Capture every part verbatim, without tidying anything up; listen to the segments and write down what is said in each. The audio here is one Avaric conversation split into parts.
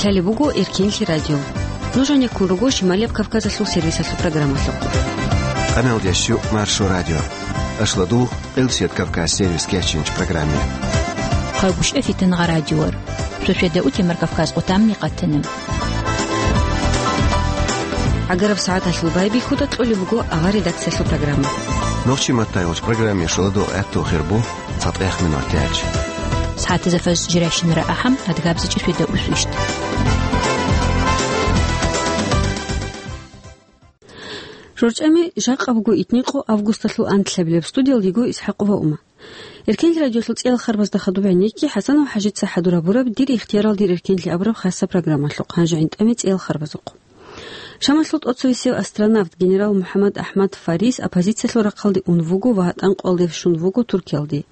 Лъалеб буго Эркенлъи радио. Нуж гьанеккун руго Шималияб Кавказалъул сервисалъул программалъухъ. Къаналдеш юкъ Маршо радио. Ашладул, Къилсият Кавказ сервис кечинч программе. Хъайгушев Фитангъа радиор. Шошеда утемар Кавказ къутамни къатана. ГӀагараб сагӀаталъул байбихьуда кьолеб буго авар редакциялъул программа. Нохчи маттайгъуч программе шуладу гӀатту хирбу. Цадгъех минут яч. СагӀатазда фаз жирайщинара ахӀам, адгабза чӀишвида усвищт. ЖурчӀами жакъа буго итникъо августалъул анлъабилеб. Студиялдиго Исхакъова Ума. Эркенлъи радиолъул цӀиял харбазда хадуб гӀенекки ХӀасанов ХӀажица хӀадур гьабураб «Дир ихтиярал, дир эркенлъи» абураб хасаб программалъухъ, гьанже гӀинтӀаме цӀиял харбазухъ. Шамалъул тӀоцевесев астронавт генерал МухӀаммад Ахмад Фарис оппозициялъул рахъалде ун вуго ва гьатӀан къоялде щун вуго Туркиялде.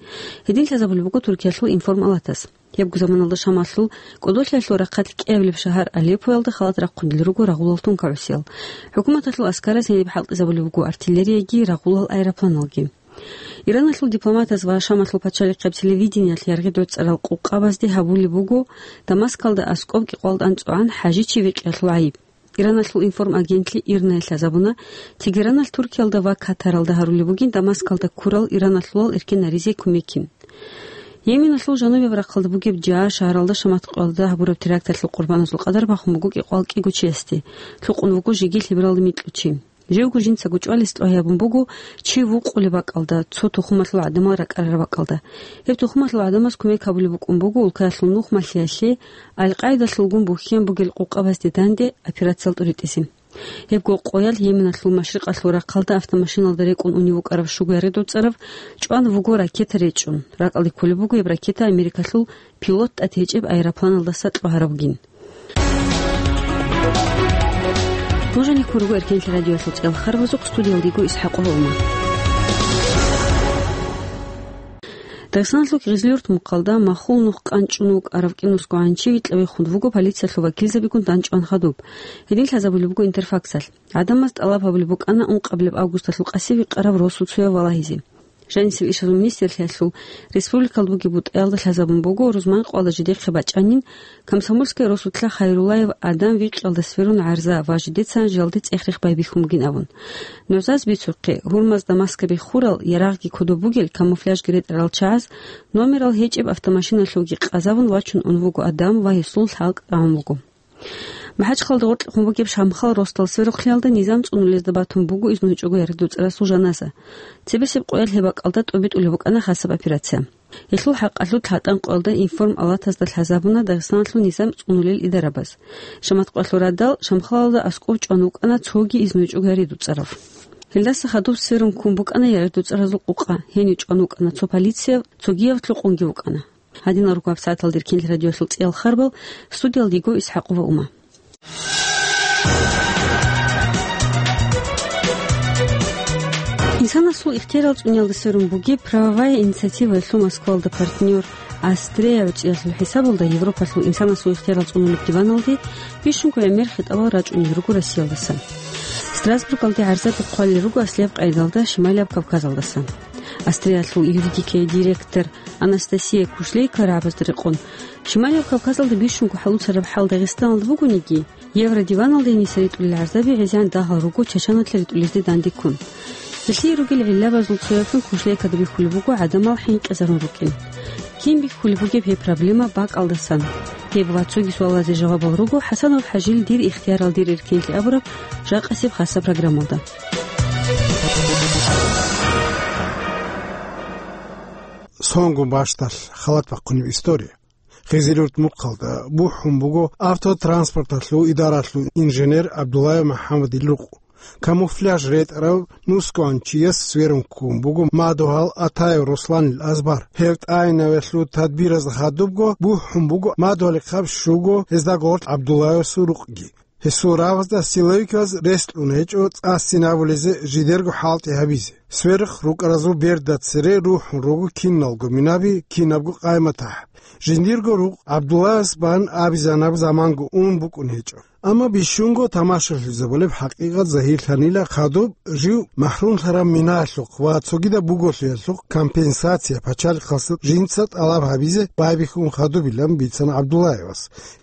Гьедин лъазабулеб буго Туркиялъул информалатас. Гьебго заманалда Шамалъул кӀодолъиялъул рахъалъ кӀиабилеб шагьар Алеппоялда халат рахъунел руго рагъулал тункагӀусиял. ХӀукуматалъул аскараз гьениб хӀалтӀизабулеб буго артиллерияги, рагъулал аэропланалги. Ираналъул дипломатаз ва Шамалъул пачалихъеб телевидениялъ яргъи доцӀарал къукъабазде гьабулеб буго Дамаскалда аскӀоб кӀикъвалда анцӀгӀан ХӀажичи викъиялъул гӀайиб. Ираналъул информагентлъи ИРНА-ял лъазабуна, Тегераналъ Туркиялда ва Катаралда гьарулеб бугин Дамаскалда ккурал ираналъулал эркенаризе кумекин. Йеменалъул жанубияб рахъалда бугеб Жаа шагьаралда шамат къоялда гьабураб теракталъул къурбаназул къадар бахун буго кӀикъвал кӀиго чиясде, лъукъун вуго жеги лъебералда микьучи. Живго жинцаго чӀвалес тӀогьабун буго чи вукъулеб бакӀалда, цо тухумалъул гӀадамал ракӀарараб бакӀалда. Гьеб тухумалъул гӀадамаз кумек гьабулеб букӀун буго улкаялъул нух малъиялъе, Аль-Къаидалъулгун бухьен бугел къукъабазде данде операциялъ тӀуритӀизе. Гьебго къоял Йеменалъул машрикъалъул рахъалда автомашиналда рекӀун унев вукӀарав щуго яргъи доцӀарав чӀван вуго ракета речӀчӀун. РакӀалде кколеб буго гьеб ракета Америкалъул пилот тӀад гьечӀеб аэропланалдаса кьогьарабгин. Нуж гьанеккун руго Эркенлъи радиоялъул цӀиял харбазухъ, студиялдиго Исхакъова Ума. Дагъистаналъул Кизилюрт мухъалда махул нух къанчӀун вукӀарав кӀинусго гӀанчи викьа-вихун вуго полициялъул вакилзабигун дандчӀван хадуб. Гьедин лъазабулеб буго Интерфаксалъ. ГӀадамаз тӀалаб гьабулеб букӀана ункъабилеб августалъул къаси викъараб росуцояв валагьизе. Жанисел ишазул министрлъиялъул республикалда бугеб бутӀаялда лъазабун буго рузман къоялда жидехъе бачӀанин Комсомольская росулъа Хайруллаев Адам викъиялда сверун гӀарза ва жидецан жалде цӀех-рех байбихьун бугин абун. НугӀзаз бицухъе, гьурмазда маскаби хурал, ярагъги кодоб бугел, камуфляжги ретӀарал чагӀаз номерал гьечӀеб автомашиналъулги къазавун вачун ун вуго Адам ва гьесул лъалкӀ рагӀун буго. МахӀачхъалда гъоркьухъун бугеб Шамхал росдал сверухълъиялда низам цӀунулезда батун буго изнугьичӀого яргъи доцӀарасул жаназа. Цебесеб къоялъ гьеб бакӀалда тӀобитӀулеб букӀана хасаб операция. Гьелъул хӀакъалъулъ гьатӀан къоялда информалатазда лъазабуна Дагъистаналъул низам цӀунулел идарабаз. Шамат къоялъул радал Шамхалалда аскӀоб чӀван вукӀана цоги изнугьичӀого яргъи доцӀарав. Гьелдаса хадуб сверун ккун букӀана яргъи доцӀаразул къукъа, гьенив чӀван вукӀана цо полицияв, цогияв лъукъунги вукӀана. Гьадинал руго гьабсагӀаталда Эркенлъи радиоялъул цӀиял харбал, студиялдиго Исхакъова Ума. Инсанасул ихтиярал цӀуниялда сверун бугеб «Правовая инициатива»ялъул Москвалда партнер «Астрея» гӀучӀиялъул хӀисабалда Европалъул инсанасул ихтиярал цӀунулеб диваналде бищунго гӀемер хитӀабал рачӀунел руго Россиялдаса. Страсбургалде гӀарзаби хъвалел руго аслияб къайдалда Шималияб Кавказалдаса. «Астрея»ялъул юридикияй директор Анастасия Кушлейкова рагӀабазда рекъон, Шималияб Кавказалда бищунго хӀалуцараб хӀал Дагъистаналда бугониги, Евродиваналде гьениса ритӀулел гӀарзаби гӀезегӀан дагьал руго Чачаналъа ритӀулезде дандеккун. Гьелъие ругел гӀиллабазул цояблъун Кушлейкада бихьулеб буго гӀадамал хӀинкъизарун рукӀин. Кин бихьулеб бугеб гьеб проблема бакӀалдасан? Гьеб ва цоги суалазе жавабал руго ХӀасанов ХӀажил «Дир ихтиярал, дир эркенлъи» абураб жакъасеб хасаб программалда. Сонго бащдалъ халат бахъунеб история. Хизилюрт мухъалда бухӀун буго автотранспорталъул идаралъул инженер ГӀабдуллаев МухӀаммадил рукъ. Камуфляж ретӀарав нусгоан чияс сверун ккун буго мадугьал Атаев Русланил азбар. Гьев тӀайинавелъул тадбираз хадубго бухӀун буго мадугьалихъаб щуго гьезда гъоркь ГӀабдуллаевасул рукъги. Гьесул рагъазда силовиказ рес кьун гьечӀо цӀасин абулезе жидерго хӀалтӀи гьабизе. Сверухъ рукӀаразул берда цере рухӀун руго киналго минаби, кинабго къайматахӀ. Жиндирго рукъ ГӀабдуллаевас бан абизанаб заманго ун букӀун гьечӀо. Амма бищунго тамашалъизабулеб хӀакъикъат загьирлъанила хадуб жив махӀрумлъараб минаялъухъ ва цогидаб буголъиялъухъ компенсация пачалихъалъул жинца тӀалаб гьабизе байбихьун хадубилан бицана ГӀабдуллаевас.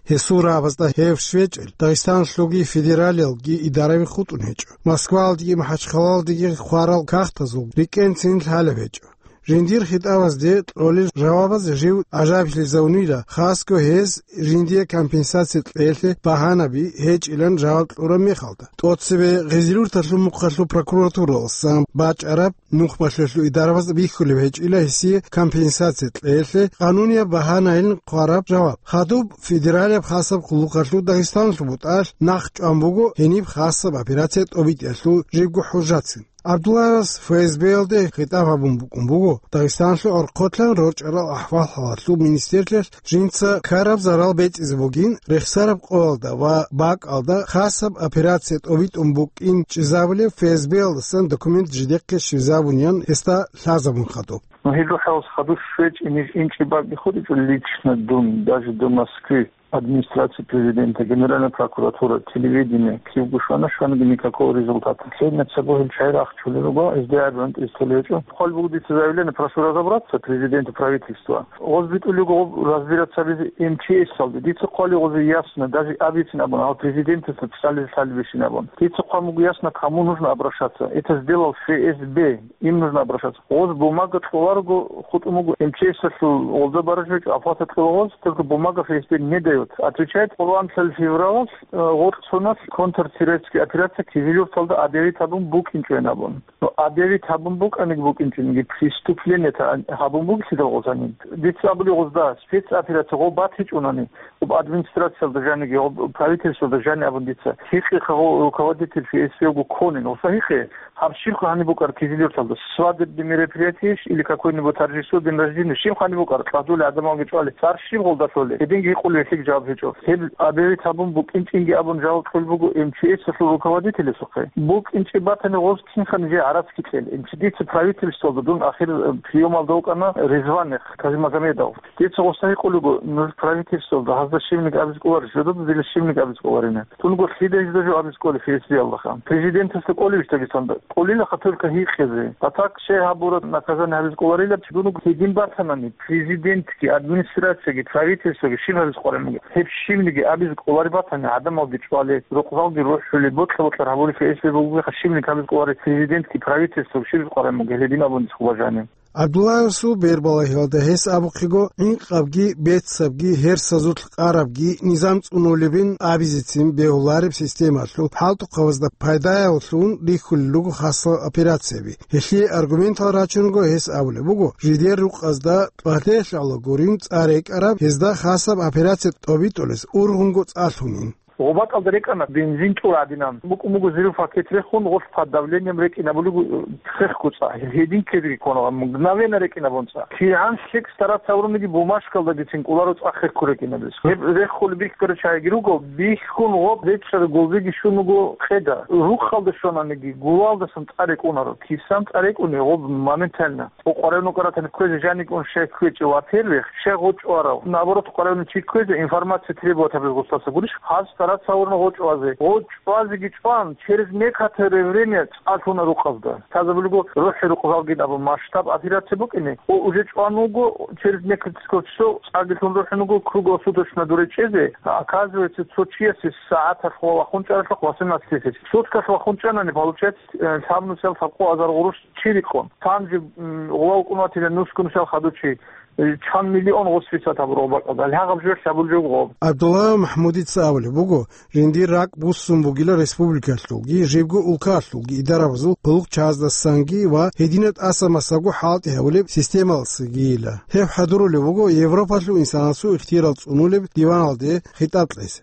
Гьесул рагӀабазда гьев щвечӀел Дагъистаналъулги федералиялги идараби хутӀун гьечӀо. Москваялдеги МахӀачхъалаялдеги хварал кагътазул рикӀкӀенцин лъалеб гьечӀо. Жиндир хитӀабазде кьолел жавабаз жив гӀажаиблъизавунила, хасго гьез жиндие компенсация кьеялъе багьанаби гьечӀилан жаваб кьураб мехалда. ТӀоцебе Гъезилурталъул мухъалъул прокуратуралъасан бачӀараб нухмалъулъул идарабаз бихьулеб гьечӀила гьесие компенсация кьеялъе къанунияб багьанайилан хъвараб жаваб. Хадуб федералияб хасаб къуллукъалъул Дагъистаналъул бутӀалъ нахъ чӀван буго гьениб хасаб операция тӀобитӀиялъул жибго хӀужжацин. ГӀабдуллаевас ФСБ-ялде хитӀаб гьабун букӀун буго, Дагъистаналъул гӀорхъолъан рорчӀарал ахӀвал-хӀалалъул министрлъиялъ жинца ккараб зарал бецӀизе бугин, рехсараб къоялда ва бакӀалда хасаб операция тӀобитӀун букӀин чӀезабулеб ФСБ-ялдасан документ жидехъе щвезабунин гьесда лъазабун хадуб. Ну, гьел рухӀалас хадур щвечӀин, ниж инчӀеб бакӀги хутӀичӀо лично дун, даже до Москвы. Администрация президента, Генеральная прокуратура, телевидение, кивго щвана, щваниги никакого результата. Лъеда цо гьел чагӀи рахчулел руго, гьезда гӀадамал тӀистулел гьечӀо. Хъван буго дица заявление, прошу разобраться президенту, правительству. Гъоз битӀулего гъоб разбираться гьабизе МЧС-алде. Дица хъвали гъозе ясно, даже абицин абун, гьав президентасда писали лъалебищин абун. Дица хъван буго ясно, кому нужно обращаться. Это сделал ФСБ, им нужно обращаться. Гъоз бумага кьоларого хутӀун буго МЧС-алъул гъолда баражу гьечӀо, оплата кьола гъоз, только бумага ФСБ не дает. Отвечает, къоло анлъабилеб февралалъ, э, гъоркь соналъ контртеррористическая операция Кизилюрталда объявить гьабун букӀинчӀойин абун. Ну, объявить гьабун букӀаниги букӀинчӀониги, преступление-то гьабун бугелъидал гъоз гьаниб. Дица абули гъозда, спецоперация гъоб батичӀунани, гъоб администрациялда жаниги, гъоб правительствода жани абун дица. Гьикъе гъо руководитель ФСБ-го кколин, гъоса гьикъе. Гьаб щибха гьаниб букӀар Кизилюрталда? Свадебный мероприятиеш или какой-нибудь торжество, день рождения? Щибха гьаниб букӀар? Кьадулел гӀадамалги чӀвали. Цар щиб гъолда лъолеб? Гьединги гьикъулеб, гьелъиги жаваб гьечӀо. Гьеб объявить гьабун букӀинчӀинги абун жаваб кьол буго МЧС-алъул руководителасухъе. БукӀинчӀеб батани, гъоз кинха нижее гӀарац кьел. Дица правительствоялда дун ахир, э, приёмалда вукӀана Ризванихъ Казимагомедов. Дица гъоса гьикъулего, нуж правительствоялда гьазда щибниги абизе кӀоларищ, жодада дила щибниги абизе кӀоларина. Дунго лъида гьезда жо абизе кӀолеб ФСБ-ялдаха? Президентасда кӀолебищ Дагестанда? КӀолилаха только гьикъизе. А так щай гьабураб наказание гьабизе кӀоларилаб чи? Дунго гьедин батанани, президентги, администрацияги, правительствоги щиб гьабизе кӀоларин бугеб? Гьеб щибниги абизе кӀолареб батани, гӀадамалги чӀвали, рукъзалги рухӀули, бокьа-бокьар гьабули ФСБ бугеха, щибниги гьабизе кӀолареб президентги, правительствоги щиб гьабизе кӀоларин бугеб, гьедин абун дихъ бажани. ГӀабдуллаевасул бербалагьиялда гьес абухъего, гӀинкъабги, бецабги, гьерсазулъ къарабги низам цӀунулебин абизецин бегьулареб системалъул хӀалтӀухъабазда пайдаялъун рихьулел руго хасал операцияби. Гьелъие аргументал рачунго гьес абулеб буго, жидер рукъазда тӀалъелъала гурин цӀа рекӀараб, гьезда хасаб операция тӀобитӀулес ургъунго цӀа лъунин. Гъоб бакӀалда рекӀана бензин тӀур гӀадинан. БукӀун буго взрыв пакет рехун, гъолъ под давлением рекӀинабулеб, э, хехго цӀа. Гьедин ккезеги ккола, мгновенно рекӀинабун цӀа. КигӀан лъикӀ стараться гьавуниги бумажкалдагицин кӀоларо цӀа хехго рекӀинабиз. Гьеб реххулеб бихьараб чагӀиги руго, бихьун гъоб речӀчӀараб гулбиги щун вуго къеда. Рукъалда щвананиги, гулалдасан цӀа рекӀунаро. Кисан цӀа рекӀуни гъоб моментально. Къваригьун вукӀаратани кквезе жаниб ун щай кквечӀев, во-первых, щай гъочӀ варав. Наоборот, къваригьун чи кквезе информация требовать гьабиз гъусаса гурищ, гьаз стараться гьавурна гъочӀ вазе. ГъочӀ вазеги чӀван, через некоторое время цӀа лъуна рукъазда. Лъазабулего рухӀи рукъзалгин абун масштаб операция букӀине, о, уже чӀван вуго, через несколько часов цӀаги лъун рухӀун вуго, круглосуточно дуре чӀезе. Оказывается, цо чиясе сагӀаталъ вахун чӀаралъухъ восемнадцать тысяч. Суткалъ вахун чӀанани, получается, э, лъабнусиялъ гьабкъу азар гъурущ чи рикъун. Цан жиб, м, гъула вукӀун ватила нусгунусиялъ хадув чи, э, чан миллион гъос фисат гьабураб бакӀалда, гьагъаб жоялъ гьабулеб жо гъоб. ГӀабдулла МахӀмудица абулеб буго, жиндир ракӀ буссун бугила республикалъулги, жибго улкалъулги идарабазул къуллукъчаздасанги ва гьединаб тӀаса-масаго хӀалтӀи гьабулеб системалсагийила. Гьеб хӀадурулеб буго Европалъул инсанасул ихтияр цӀунулеб диваналде хитӀаб кьезе.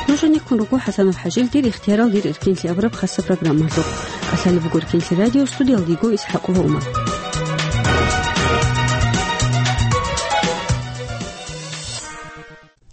Нужеца ккун руго ХӀасанов ХӀажил «Дир ихтиярал, дир эркинлъи» абураб хасаб программалъухъ. КӀалъалеб буго «Эркинлъи» радио, студиялда йиго ИсхӀакъова Умар.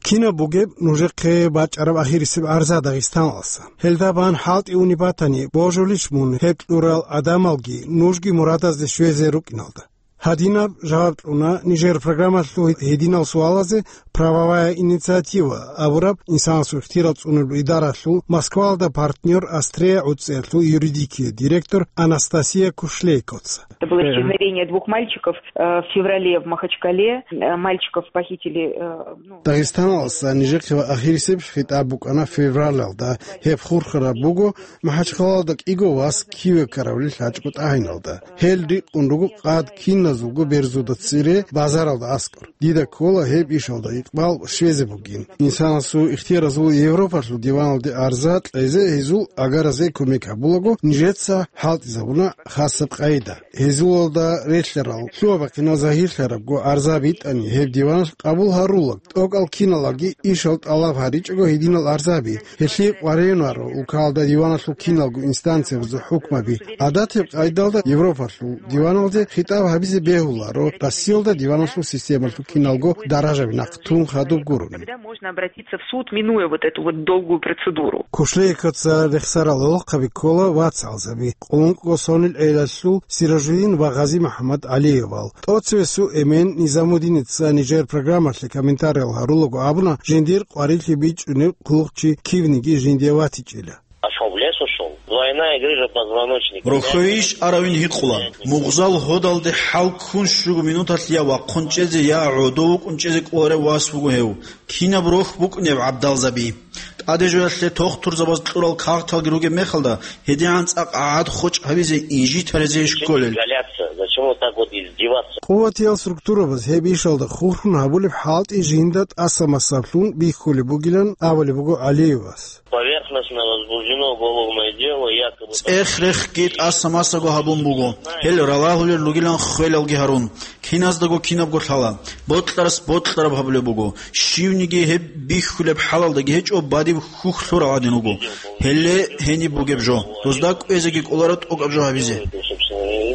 Кинаб бугеб нужехъе бачӀараб ахирисеб гӀарза Дагъистаналдаса? Гьелда бан хӀалтӀи унеб батани, божулищ мун гьеб кьурал гӀадамалги нужги мурадазде щвезе рукӀиналда? Гьадинаб жаваб кьуна нижер программалъул гьединал суалазе «Правовая инициатива» абураб инсанасул ихтияр цӀунулеб идаралъул Москваялда партнер Астрея гӀуцӀиялъул юридикияй директор Анастасия Кушлейкоца. Это было исчезновение двух мальчиков, э, в феврале в Махачкале. Э, мальчиков похитили, э, ну, Дагъистаналдаса нижехъе ва ахирисеб хитӀаб букӀана февралалда. Гьеб хурхараб буго МахӀачхъалаялда кӀиго вас киве ккаравлил гьачӀго тӀагӀиналда. Гьел рикъун руго къад киназулго берзуда цере базаралда аскӀор. Дида ккола гьеб ишалда икъбал щвезе бугин. Инсанасул ихтияразул Европалъул диваналде арза кьезе гьезул агаразе кумек гьабулаго нижеца хӀалтӀизабуна хасаб къайда. Гьезулалда релълъарал лъугьа-бахъинал загьирлъарабго арза битӀани гьеб диваналъ къабул гьарулаг, тӀокӀал киналги ишал тӀалаб гьаричӀого гьединал арзаби, гьелъие къваригӀунаро улкалда диваналъул киналго инстанциябазул хӀукмаби. ГӀадатаб къайдалда Европалъул диваналде хитӀаб гьабизе бегьуларо Россиялда диваналъул системалъул киналго даражаби нахъ тун хадуб гурони. Когда можно обратиться в суд, минуя вот эту вот долгую процедуру? Кушлейкоца рехсарал гӀолохъаби ккола вацгӀалзаби, къулункъго сонил гӀелалъул Сиражудин ва Гъази-МухӀаммад ГӀалиевал. ТӀоцевесул эмен Низамудиница нижер программалъе комментариял гьарулаго абуна, жиндир къварилъи бичӀчӀунев хъулухъчи кивниги жиндие ватичӀила. Ошиб лес ушел. Двойная грыжа позвоночника. Рохьойищ аравин гьикъула. Мугъзал гьодалде хӀал ккун щуго минуталъ я вахъун чӀезе, я гӀодов вукӀун чӀезе кӀоларев вас вуго гьев. Кинаб рохь букӀунеб гӀабдалзаби! ТӀадежоялъе тохтурзабаз кьурал кагъталги ругеб мехалда, гьедигӀан цӀакъ гӀад хочӀ гьабизе инжитарезе кколел. Изгаляться. Зачем вот так вот издеваться? Къуватиял структурабаз гьеб ишалда хурхун гьабулеб хӀалтӀи жинда тӀаса-масаблъун бихьулеб бугилан абулеб буго ГӀалиевас. Поверхностно возбуждено уголовное дело, якобы... ЦӀех-рехги тӀаса-масаго гьабун буго. Гьел ралагьулел ругилан ххвелалги гьарун. Киназдаго кинабго лъала. Бокьарас бокьараб гьабулеб буго. Щивниги гьеб бихьулеб хӀалалдаги гьечӀо, бадиб хьухь лъурал гӀадин вуго. Гьеле гьениб бугеб жо. Дозда кӀвезеги кӀоларо тӀокӀаб жо гьабизе.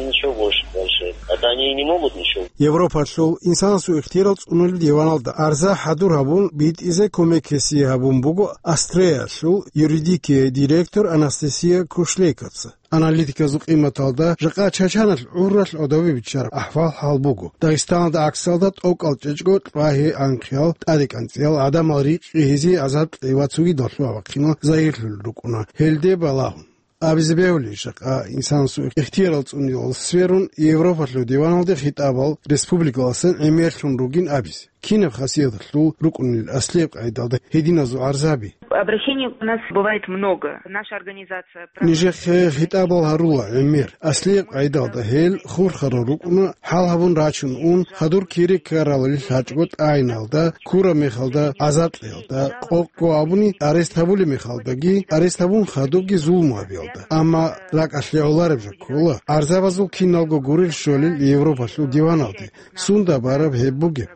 Ничего больше дальше. Это они и не могут ничего. Европалъул инсанасул ихтияр цӀунулел диваналда арза хӀадур гьабун битӀизе кумек гьесие гьабун буго Астреялъул юридикияй директор Анастасия Кушлейкоца. Аналитиказул къиматалда, жакъа Чачаналъ гӀуралъ гӀодобе биччараб ахӀвал-хӀал буго. Дагъистаналда гӀаксалда тӀокӀал чӀечӀго кьвагьи-анхъиял, тӀаде кӀанцӀиял гӀадамал рикъи гьезие азар кьева цогидал лъугьа-бахъинал загьирлъулел рукӀуна, гьелде балагьун. Абизе бегьулищ, жакъа инсанасул ихтияр цӀунилал сверун Европалъул диваналде хитӀабал республикаласан гӀемерлъун ругин абизе? Кинаб хасияталъул рукӀунел аслияб къайдалда гьединазул арзаби? Обращений у нас бывает много. Наша организация... Нижехъе хитӀабал гьарула гӀемер. Аслияб къайдалда гьел хурхарал рукӀуна, хӀал гьабун рачун ун, хадур кири ккаралил гьачӀго тӀагӀиналда, ккураб мехалда, азар кьеялда, къокъго абуни арест гьабулеб мехалдаги, арест гьабун хадубги зулму гьабиялда. Амма ракӀалъе гӀолареб жо ккола, арзабазул киналго гурел щолел Европалъул диваналде. Сунда бараб гьеб бугеб?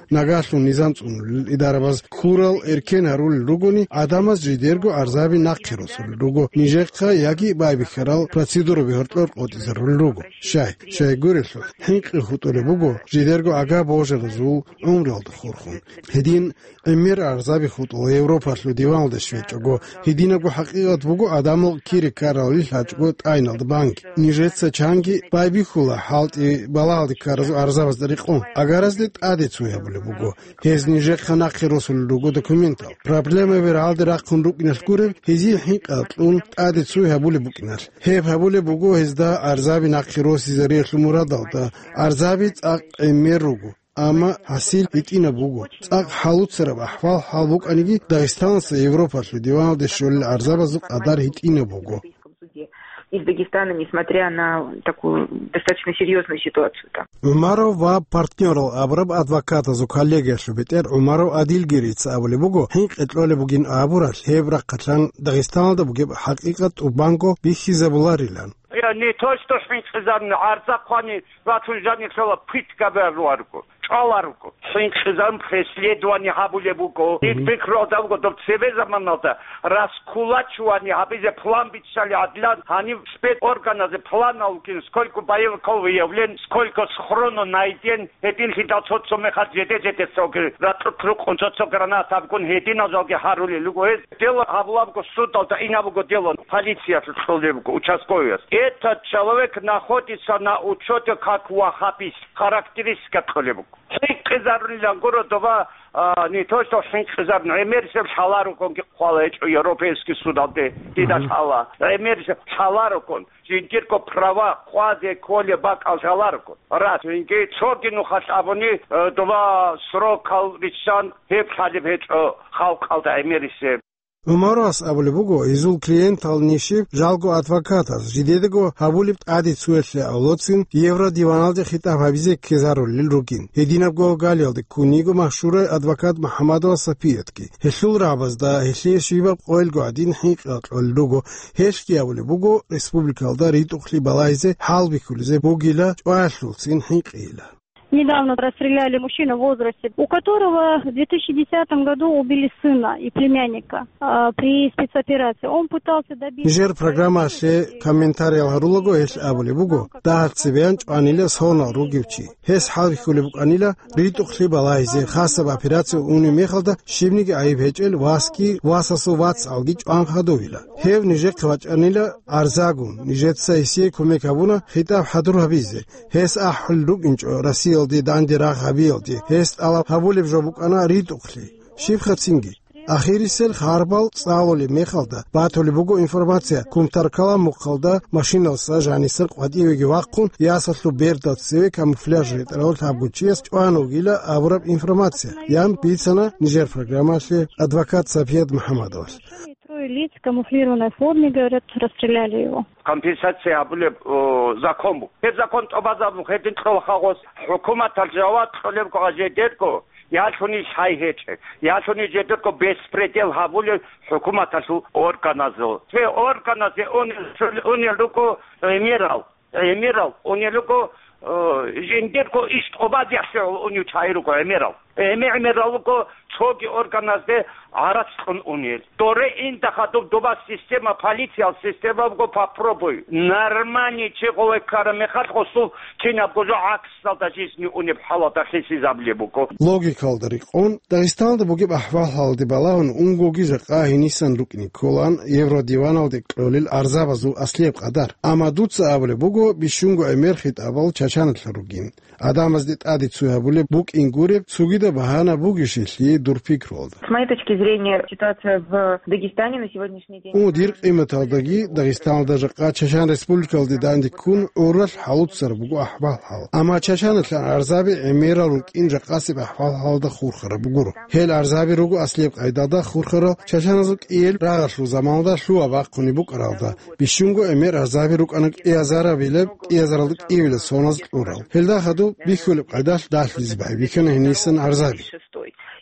Нагагьлъун низам цӀунулел идарабаз ккурал эркен гьарулел ругони, гӀадамаз жидерго арзаби нахъе росулел руго, нижехъа яги байбихьарал процедураби гьоркьор къотӀизарулел руго. Щай, щай гурелъул, хӀинкъи хутӀулеб буго жидерго ага божаразул гӀумруялда хурхун. Гьедин гӀемер арзаби хутӀула Европалъул диваналде щвечӀого. Гьединабго хӀакъикъат буго, адамал кири ккаралил гьачӀго тӀагӀиналда банги. Нижеца чанги байбихьула хӀалтӀи балагьалде ккаразул арзабазда рекъон. Агаразде тӀаде цой гьабулеб буго. Гьез нижехъа нахъе росулел руго документал. Проблемаби рагӀалде рахъун рукӀиналъ гуреб, гьезие хӀинкъи кьун тӀаде цой гьабулеб букӀиналъ. Гьеб гьабулеб буго гьезда арзаби нахъе росизариялъул мурадалда, арзаби цӀакъ гӀемер руго. Амма гьасил гьитӀинаб буго. ЦӀакъ хӀалуцараб ахӀвал-хӀал букӀаниги, Дагъистаналъа Европалъул диваналде щолел арзабазул къадар гьитӀинаб буго. Из Дагестана, несмотря на такую достаточно серьёзную ситуацию там. ГӀумаров ва партнёрал абураб адвокатазул коллегиялъул бетӀер ГӀумаров Адилгирица абулеб буго, хӀинкъи кьолеб бугин абуралъ, гьеб рахъалъан Дагъистаналда бугеб хӀакъикъат тӀубанго бихьизабуларилан. Я, не то, что хӀинкъизабуна, гӀарза хъвани, ратун жаниб лъала, пытка бегьуларго. чӀваларуго. ХӀинкъизабун преследование гьабулеб буго. Дир пикруялда буго, доб цебе заманалда раскулачивание гьабизе план биччали гӀадилан, гьанив спецорганазде план алкин, сколько боевиков выявлен, сколько схроно найден, гьединлъидал цо-цо мехалъ жеде-жеде цоги ракьулъ рукъун, цо-цо гранатабгун гьединал жалги гьарулел руго гьез. Дело гьабулабго судалда, инабго дело полициялъул кьолебго участковыяс. Этот человек находится на учёте как ваххабист, характеристика кьолебго. ХӀинкъизарунилан гуро доба, а, не то что хӀинкъизарун, гӀемерисеб лъаларуконги хъвала гьечӀо Европейский судалде, дида лъала. ГӀемерисеб лъаларукон, жиндирго права къвазе кколеб бакӀал лъаларукон. Рас, инги цоги нухалъ абуни, э, доба срокал риччан гьеб лъалеб гьечӀо халкъалда гӀемерисеб. ГӀумарас абулеб буго, гьезул клиентал нижер жалго адвокатаз жидедаго гьабулеб тӀаде цоялъе авлоцин Евродиваналде хитӀаб гьабизе ккезарулел ругин. Гьединабго галиялде ккун йиго машгьурай адвокат МухӀаммадова Сапиятги. Гьелъул рагӀабазда гьелъие щибаб къойилго гӀадин хӀинкъи кьолел руго. Гьелъги абулеб буго, республикалда ритӀухълъи балагьизе хӀалбихьулеб бугила, чӀваялъулцин хӀинкъийила. Недавно расстреляли мужчину в возрасте, у которого в две тысячи десятом году убили сына и племянника, а, при спецоперации. Он пытался добиться... Нижер программалъе комментариял гьарулаго гьелъ абулеб буго, дагьаб цебеян чӀванила сонал ругев чи. Гьес хӀалбихьулеб букӀанила ритӀухълъи балагьизе, хасаб операция унеб мехалда щибниги гӀайиб гьечӀел васги, васасул вацгӀалги чӀван хадувила. Гьев нижехъе вачӀанила гӀарзагун, нижеца гьесие кумек гьабуна хитӀаб хӀадур гьабизе. Гьес ахӀулел рукӀинчӀо Россиялде данде рагъ гьабиялде, гьес тӀалаб гьабулеб жо букӀана ритӀухълъи, щибха цинги. Ахирисел харбал цӀалулеб мехалда батулеб буго информация, кумтар ккола мухъалда машиналъа жанисер къватӀивеги вахъун, ясалъул берда цеве камуфляж ретӀарав лъабго чияс чӀван вугила абураб информация, ян бицана нижер программалъе адвокат Сапият МухӀаммадовас. Трое лиц в камуфлированной форме, говорят, расстреляли его. Компенсация гьабулеб, о, закон буго. Гьеб закон тӀубазабун гьедин кьола хагъос, хӀукуматалъ жаваб кьолебго гьажедерго, ялъуни лъай гьечӀеб, ялъуни жедерго беспредел гьабулел хӀукуматалъул органазул. Цебе органазе унел, унел руго гӀемерал. ГӀемерал унел руго, э, жиндирго иш тӀубазехъе унев чагӀи руго гӀемерал. ГӀеме-гӀемерал руго цоги органазде гӀарац кьун унел. Доре инда хадуб доба система, полициял система буго, попробуй. Нормальный чи гъове ккараб мехалъ гъосул кинабго жо гӀаксалда жизни унеб хӀалалда хисизабулеб буго. Логикалда рекъон, Дагъистаналда бугеб ахӀвал-хӀалалде балагьун унгоги жакъа гьенисан рукӀине кколаан Евродиваналде кьолел гӀарзабазул аслияб къадар. Амма дуца абулеб буго бищунго гӀемер хитӀабал Чачаналъа ругин. Адамазде тӀаде цо гьабулеб букӀин гуреб цогидаб багьана бугищелъи дур пикруялда. С моей точки зрения, ситуация в Дагестане на сегодняшний день... О, дир къиматалдаги Дагъистаналда жакъа Чачан Республикалде данде ккун гӀуралъ хӀалуцараб буго ахӀвал-хӀал. Амма Чачаналъан гӀарзаби гӀемерал рукӀин жакъасеб ахӀвал-хӀалалда хурхараб гуро. Гьел гӀарзаби руго аслияб къайдалда хурхарал чачаназул кӀиел рагъалъул заманалда лъугьа-бахъунеб букӀаралда, бищунго гӀемер гӀарзаби рукӀана кӀиазарабилеб, кӀиазаралда кӀиявилеб соназ кьурал. Гьелда хадуб бихьулеб къайдалъ дагьлъизе байбихьана гьенисан гӀарзаби.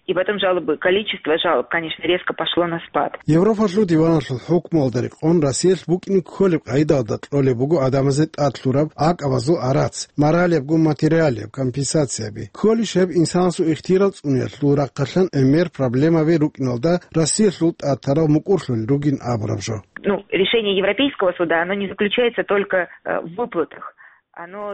И потом жалобы, количество жалоб, конечно, резко пошло на спад. Европалъул диваналъул хӀукмуялда рекъон Россиялъ букӀине кколеб къайдалда кьолеб буго адамазе тӀад лъураб гӀакъабазул гӀарац, моралияб гун материалияб компенсацияби. Кколищ гьеб инсанасул ихтияр цӀуниялъул рахъалъан гӀемер проблемаби рукӀиналда Россиялъул тӀад тарал мукӀурлъулел ругин абураб жо. Ну, решение Европейского суда, оно не заключается только, э, в выплатах.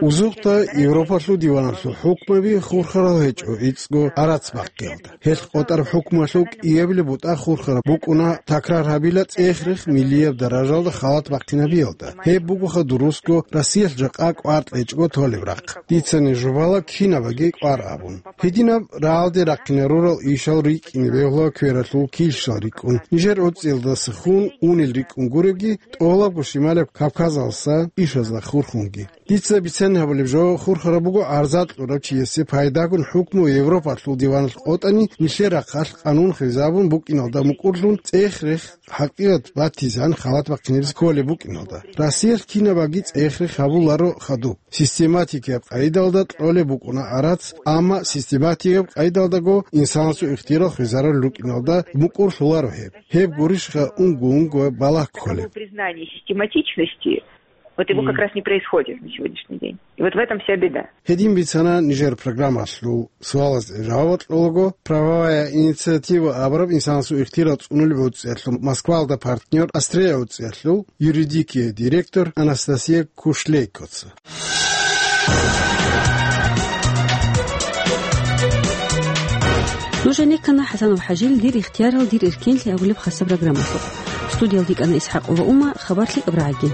Узухъда Европалъул диваналъул хӀукмаби хурхарал гьечӀо ицӀго гӀарац бахъиялда. Гьелъ къотӀараб хӀукмуялъул кӀиабилеб бутӀа хурхараб букӀуна такрар гьабила цӀех-рех миллияб даражалда халат бахъинабиялда. Гьеб бугоха дурусго Россиялъ жакъа кӀвар кьечӀого толеб рахъ. Дицани жубала кинабаги кӀвар абун. Гьединаб рагӀалде рахъинарурал ишал рикӀкӀине бегьула квералъул килщал рикӀкӀун, нижер гӀуцӀиялдаса хун унел рикӀкӀун гуребги, тӀолабго Шималаб Кавказалса ишазда хурхунги. Дица бицани гьабулеб жо, хурхараб буго гӀарза кьурав чиясе пайдагун хӀукму Европалъул диваналъ къотӀани, нилъер рахъалъ къанун хвезабун букӀиналда мукӀурлъун цӀех-рех хӀакъикъат батизегӀан халат бахъинабизе кколеб букӀиналда. Россиялъ кинабаги цӀех-рех гьабуларо хадуб. Систематикияб къайдалда кьолеб букӀуна гӀарац, амма систематикияб къайдалдаго инсанасул ихтияр хвезарулел рукӀиналда мукӀурлъуларо гьеб. Гьеб гурищха унго-унго балагь кколеб? Признание систематичности Вот его как раз не происходит на сегодняшний день. И вот в этом вся беда. Гьедин бицана нижер программалъул суалазда жаваб кьолаго, правовая инициатива абураб инсанасул ихтияр цӀунулеб гӀуцӀиялъул Москвалда партнер Австрия гӀуцӀиялъул юридикиялъул директор Анастасия Кушлейкоца. Нуж гӀенеккана ХӀасанов ХӀажил «Дир ихтиярал, дир эркенлъи» абулеб хасаб программалъухъ. Студиялда йикӀана ИсхӀакъова Ума, хабар лъикӀаб рагӀаги.